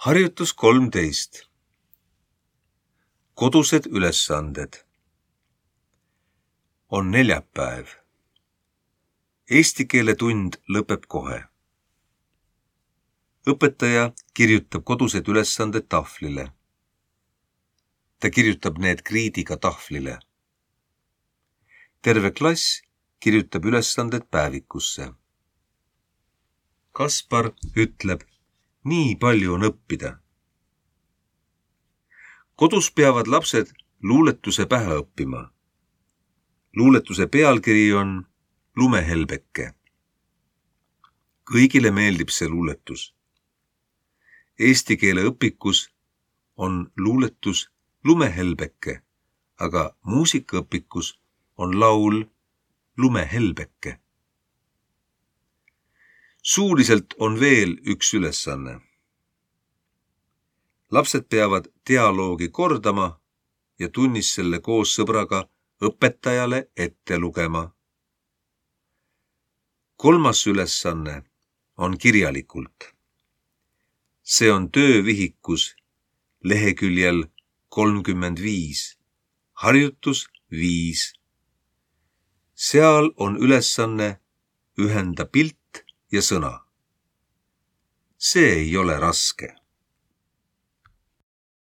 Harjutus 13. Kodused ülesanded. On neljapäev. Eesti keele tund lõpeb kohe. Õpetaja kirjutab kodused ülesanded tahvlile. Ta kirjutab need kriidiga tahvlile. Terve klass kirjutab ülesanded päevikusse. Kaspar ütleb, nii palju on õppida. Kodus peavad lapsed luuletuse pähe õppima. Luuletuse pealkiri on Lumehelbeke. Kõigile meeldib see luuletus. Eesti keele õpikus on luuletus Lumehelbeke, aga muusikaõpikus on laul Lumehelbeke. Suuliselt on veel üks ülesanne. Lapsed peavad dialoogi kordama ja tunnis selle koos sõbraga õpetajale ette lugema. Kolmas ülesanne on kirjalikult. See on töövihikus leheküljel 35, harjutus 5. Seal on ülesanne ühenda pilt ja sõna. See ei ole raske.